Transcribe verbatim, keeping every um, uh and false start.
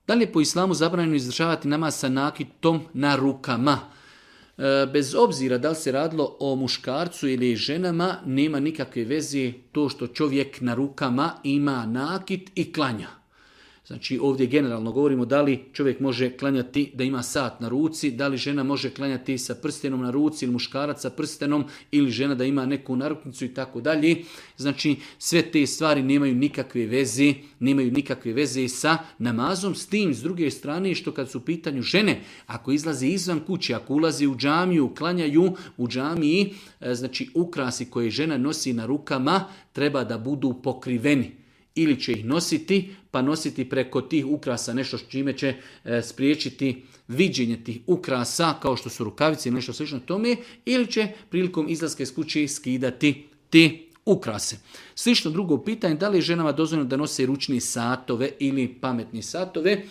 Da li je po islamu zabranjeno izdržavati namaz sa nakitom na rukama? Bez obzira da li se radilo o muškarcu ili ženama, nema nikakve veze to što čovjek na rukama ima nakit i klanja. Znači ovdje generalno govorimo da li čovjek može klanjati da ima sat na ruci, da li žena može klanjati sa prstenom na ruci ili muškarac sa prstenom ili žena da ima neku naruknicu i tako dalje. Znači sve te stvari nemaju nikakve veze, nemaju nikakve veze sa namazom. S tim s druge strane što kad su u pitanju žene, ako izlaze izvan kuće, ako ulazi u džamiju, klanjaju u džamiji, znači ukrasi koje žena nosi na rukama treba da budu pokriveni. Ili će ih nositi, pa nositi preko tih ukrasa nešto s čime će e, spriječiti viđenje tih ukrasa, kao što su rukavice ili nešto slično tome, ili će prilikom izlaska iz kuće skidati te ukrase. Slično drugo pitanje, da li je ženama dozvoljeno da nose ručne satove ili pametne satove?